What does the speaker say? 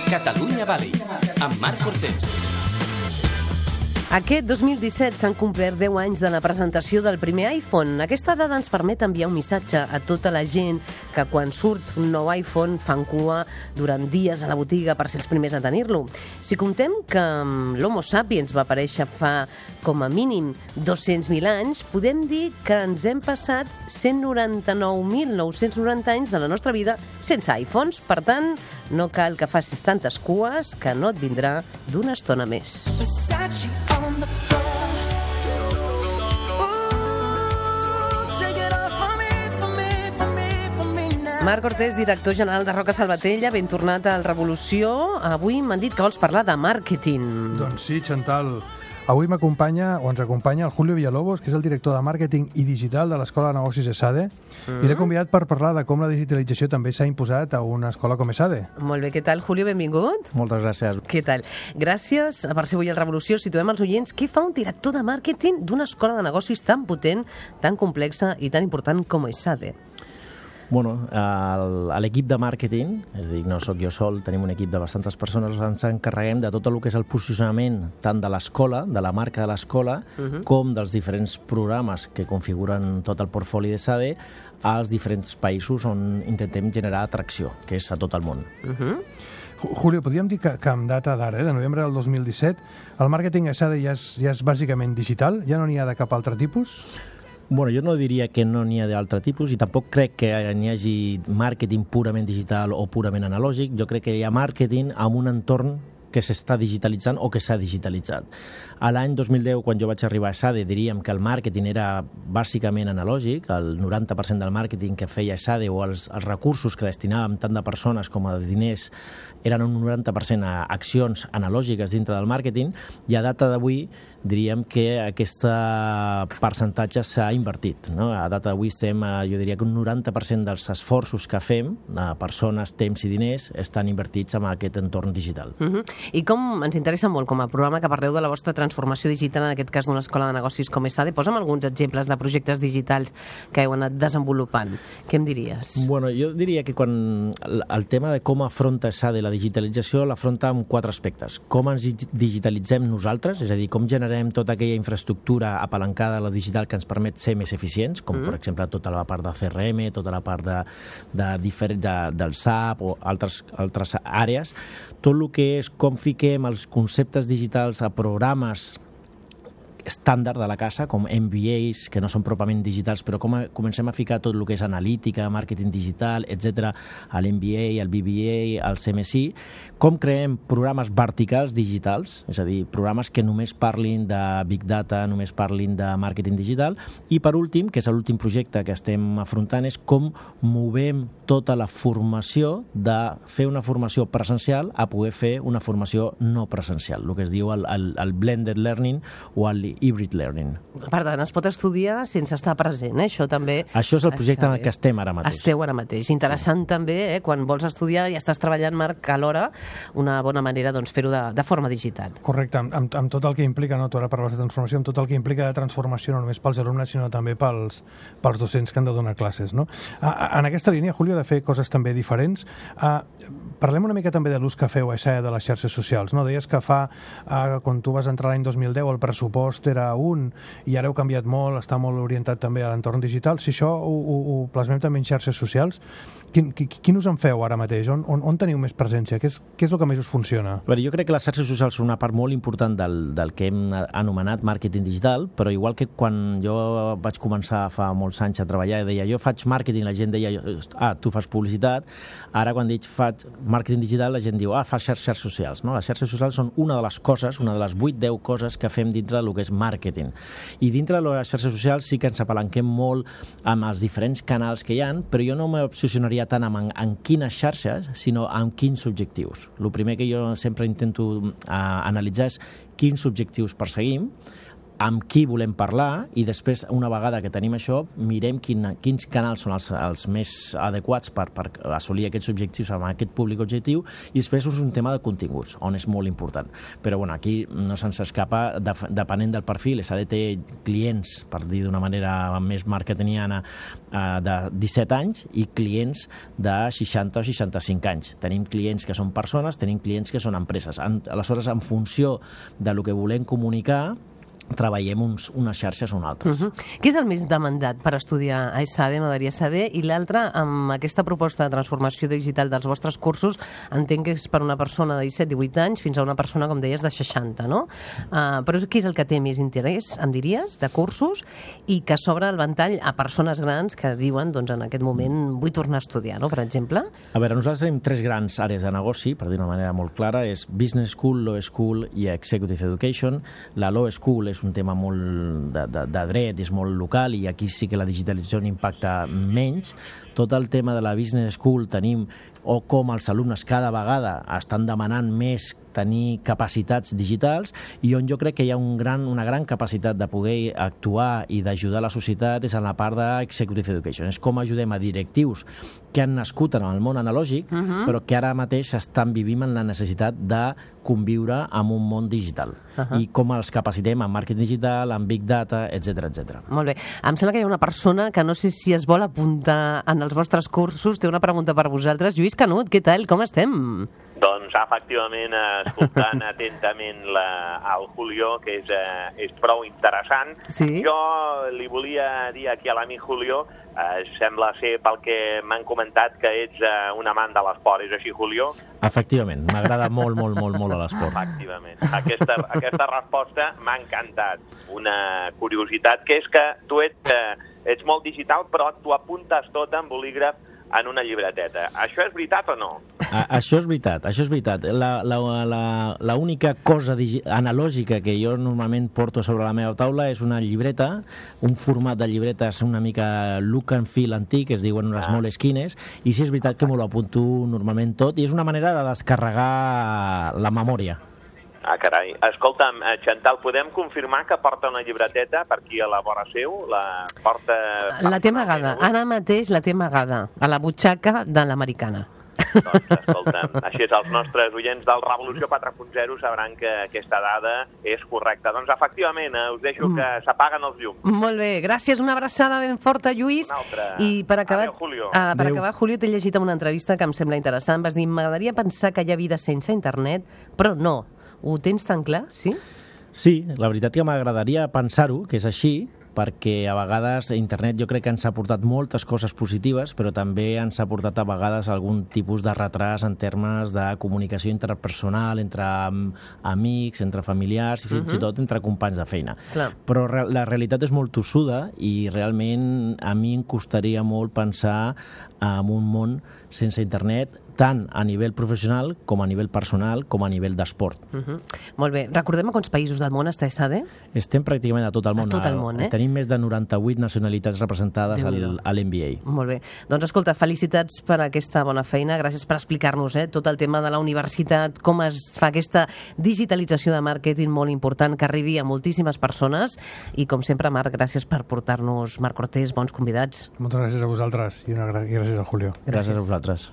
Catalunya Valley, amb Marc Cortés. Aquest 2017 s'han complert 10 anys de la presentació del primer iPhone. Aquesta dada ens permet enviar un missatge a tota la gent que quan surt un nou iPhone fan cua durant dies a la botiga per ser els primers a tenir-lo. Si comptem que l'Homo sapiens va aparèixer fa com a mínim 200.000 anys, podem dir que ens hem passat 199.990 anys de la nostra vida sense iPhones. Per tant, no cal que facis tantes cues, que no et vindrà d'una estona més. Marc Cortés, director general de Roca Salvatella, ben tornat al Revolució. Avui m'han dit que vols parlar de màrqueting. Doncs sí, Chantal. Avui m'acompanya, o ens acompanya, el Julio Villalobos, que és el director de màrqueting i digital de l'Escola de Negocis ESADE, i l'he convidat per parlar de com la digitalització també s'ha imposat a una escola com ESADE. Molt bé, què tal, Julio? Benvingut. Moltes gràcies. Què tal? Gràcies per ser avui al Revolució. Situem els oients. Què fa un director de màrqueting d'una escola de negocis tan potent, tan complexa i tan important com ESADE? Bueno, l'equip de màrqueting, és a dir, no sóc jo sol, tenim un equip de bastantes persones, ens encarreguem de tot el que és el posicionament tant de l'escola, de la marca de l'escola, com dels diferents programes que configuren tot el portfoli d'ESADE als diferents països on intentem generar atracció, que és a tot el món. Julio, podríem dir que amb data d'ara, de novembre del 2017, el màrqueting ESADE ja és bàsicament digital? Ja no n'hi ha de cap altre tipus? Bueno, jo no diria que no n'hi ha d'altre tipus i tampoc crec que n'hi hagi màrqueting purament digital o purament analògic. Jo crec que hi ha màrqueting amb un entorn que s'està digitalitzant o que s'ha digitalitzat. A l'any 2010, quan jo vaig arribar a ESADE, diríem que el màrqueting era bàsicament analògic, el 90% del màrqueting que feia ESADE o els recursos que destinàvem tant de persones com de diners eren un 90% a accions analògiques dintre del màrqueting, i a data d'avui diríem que aquest percentatge s'ha invertit. No? A data d'avui estem, jo diria que un 90% dels esforços que fem, persones, temps i diners, estan invertits en aquest entorn digital. I com ens interessa molt, com a programa, que parleu de la vostra transformació digital, en aquest cas d'una escola de negocis com ESADE, posa'm alguns exemples de projectes digitals que heu anat desenvolupant. Què em diries? Bueno, jo diria que quan el tema de com afronta ESADE la digitalització l'afronta amb 4 aspectes. Com ens digitalitzem nosaltres, és a dir, com generem tota aquella infraestructura apalancada a la digital que ens permet ser més eficients, com per exemple tota la part de CRM, tota la part del SAP o altres àrees, tot el que és com fiquem els conceptes digitals a programes estàndard de la casa, com MBAs, que no són pròpiament digitals, però com comencem a ficar tot el que és analítica, màrqueting digital, etc., a l'MBA, al BBA, al CMSI, com creem programes verticals digitals, és a dir, programes que només parlin de Big Data, només parlin de màrqueting digital, i per últim, que és l'últim projecte que estem afrontant, és com movem tota la formació de fer una formació presencial a poder fer una formació no presencial, el que es diu el blended learning o el hybrid learning. Per tant, es pot estudiar sense estar present, Això també... Això és el projecte en el que estem ara mateix. Esteu ara mateix. Interessant també, quan vols estudiar i estàs treballant, Marc, alhora, una bona manera fer-ho de forma digital. Correcte, amb tot el que implica, tu ara parles de transformació, amb tot el que implica de transformació no només pels alumnes, sinó també pels docents que han de donar classes. No? En aquesta línia, Julio, de fer coses també diferents, parlem una mica també de l'ús que feu a ESADE de les xarxes socials. No? Deies que quan tu vas entrar l'any 2010, el pressupost era un, i ara heu canviat molt, està molt orientat també a l'entorn digital. Si això ho plasmem també en xarxes socials, quin us en feu ara mateix? On teniu més presència? Què és el que més us funciona? Jo crec que les xarxes socials són una part molt important del que hem anomenat màrqueting digital, però igual que quan jo vaig començar fa molts anys a treballar i deia jo faig màrqueting, la gent deia tu fas publicitat, ara quan dic faig màrqueting digital la gent diu fas xarxes socials. No? Les xarxes socials són una de les coses, una de les 8-10 coses que fem dintre del que és màrqueting. I dintre de les xarxes socials sí que ens apalanquem molt amb els diferents canals que hi ha, però jo no m'obsessionaria tant en quines xarxes, sinó en quins objectius. El primer que jo sempre intento analitzar és quins objectius perseguim, amb qui volem parlar i després, una vegada que tenim això, mirem quins canals són els més adequats per assolir aquests objectius amb aquest públic objectiu, i després és un tema de continguts, on és molt important. Però bueno, aquí no se'ns escapa, depenent del perfil, s'ha de tenir clients, per dir d'una manera més marketingiana, de 17 anys i clients de 60 o 65 anys. Tenim clients que són persones, tenim clients que són empreses. Aleshores, en funció de lo que volem comunicar, treballem unes xarxes o unes altres. Què és el més demandat per estudiar a ESADE, m'agradaria saber, i l'altre, amb aquesta proposta de transformació digital dels vostres cursos, entenc que és per una persona de 17-18 anys fins a una persona, com deies, de 60, no? Però què és el que té més interès, em diries, de cursos, i que s'obre el ventall a persones grans que diuen, doncs, en aquest moment vull tornar a estudiar, no?, per exemple? A veure, nosaltres tenim 3 grans àrees de negoci, per dir d'una manera molt clara, és Business School, Law School i Executive Education. La Law School és un tema molt de dret, és molt local, i aquí sí que la digitalització impacta menys. Tot el tema de la Business School tenim, o com els alumnes cada vegada estan demanant més tenir capacitats digitals, i on jo crec que hi ha una gran capacitat de poder actuar i d'ajudar la societat és en la part d'Executive Education. És com ajudem a directius que han nascut en el món analògic, però que ara mateix estan vivint en la necessitat de conviure amb un món digital. I com els capacitem en màrqueting digital, en big data, etc etc. Molt bé. Em sembla que hi ha una persona que no sé si es vol apuntar en els vostres cursos. Té una pregunta per vosaltres. Lluís Canut, què tal? Com estem? Doncs, efectivament, escoltant atentament el Julio, que és prou interessant. Sí? Jo li volia dir aquí a l'amic Julio, sembla ser pel que m'han comentat que ets un amant de l'esport. És així, Julio? Efectivament, m'agrada molt a l'esport. Efectivament. Aquesta resposta m'ha encantat. Una curiositat, que és que tu ets molt digital, però tu apuntes tot en bolígraf en una llibreteta. Això és veritat o no? Això és veritat. La única cosa analògica que jo normalment porto sobre la meva taula és una llibreta, un format de llibretes una mica look and feel antic, es diuen unes Moleskines, i sí és veritat que m'ho apunto normalment tot, i és una manera de descarregar la memòria. Ah, carai. Escolta'm, Chantal, podem confirmar que porta una llibreteta per aquí a la vora seu? La té amagada. Ara mateix la té amagada a la butxaca de l'americana. Doncs, escolta'm, així és, els nostres oients del Revolució 4.0 sabran que aquesta dada és correcta. Doncs, efectivament, us deixo que s'apaguen els llums. Molt bé, gràcies, una abraçada ben forta, Lluís. Una altra. I per acabar, Adéu, Julio. Julio, t'he llegit en una entrevista que em sembla interessant. Vas dir, m'agradaria pensar que hi ha vida sense internet, però no. Ho tens tan clar, sí? Sí, la veritat que m'agradaria pensar-ho, que és així, perquè a vegades internet jo crec que ens ha portat moltes coses positives, però també ens ha portat a vegades algun tipus de retras en termes de comunicació interpersonal entre amics, entre familiars i fins i tot entre companys de feina. Clar. Però la realitat és molt tossuda i realment a mi em costaria molt pensar en un món sense internet, tant a nivell professional com a nivell personal com a nivell d'esport. Molt bé. Recordem a quants països del món està ESADE? Estem pràcticament a tot el món. A tot el món, eh? Tenim més de 98 nacionalitats representades a l'NBA. Molt bé. Doncs escolta, felicitats per aquesta bona feina. Gràcies per explicar-nos tot el tema de la universitat, com es fa aquesta digitalització de màrqueting molt important que arribi a moltíssimes persones. I com sempre, Marc, gràcies per portar-nos, Marc Cortés, bons convidats. Moltes gràcies a vosaltres i gràcies a Julio. Gràcies a vosaltres.